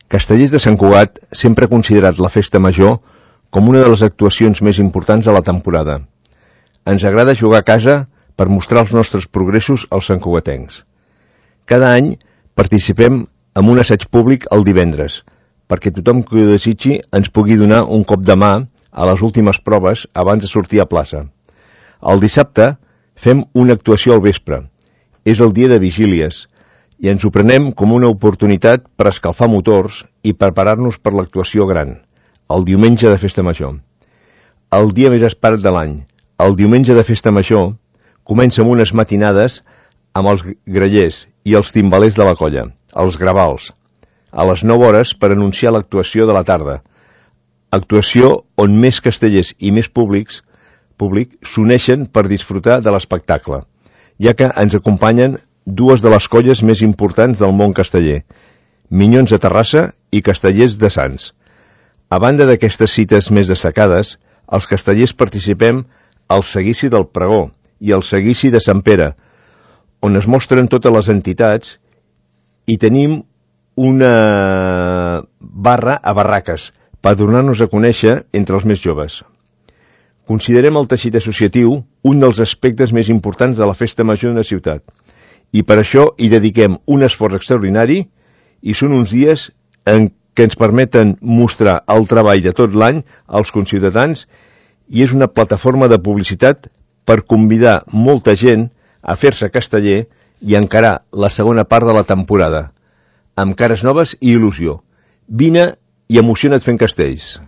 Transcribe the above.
Castellers de Sant Cugat sempre ha considerat la festa major com una de les actuacions més importants de la temporada. Ens agrada jugar a casa per mostrar els nostres progressos als santcugatencs. Cada any participem en un assaig públic el divendres, perquè tothom que ho desitgi ens pugui donar un cop de mà a les últimes proves abans de sortir a plaça. El dissabte fem una actuació al vespre. És el dia de vigílies, i ens ho prenem com una oportunitat per escalfar motors i preparar-nos per l'actuació gran, el diumenge de Festa Major. El dia més esperat de l'any, el diumenge de Festa Major, comença amb unes matinades amb els grallers i els timbalers de la colla, els gravals, a les 9 hores per anunciar l'actuació de la tarda. Actuació on més castellers i més públic s'uneixen per disfrutar de l'espectacle, ja que ens acompanyen dues de les colles més importants del món casteller, Minyons de Terrassa i Castellers de Sants. A banda d'aquestes cites més destacades, els castellers participem al seguici del Pregó i al seguici de Sant Pere, on es mostren totes les entitats i tenim una barra a barraques per donar-nos a conèixer entre els més joves. Considerem el teixit associatiu un dels aspectes més importants de la festa major d'una ciutat, i per això hi dediquem un esforç extraordinari i són uns dies en què ens permeten mostrar el treball de tot l'any als conciutadans i és una plataforma de publicitat per convidar molta gent a fer-se casteller i encarar la segona part de la temporada, amb cares noves i il·lusió. Vine i emociona't fent castells.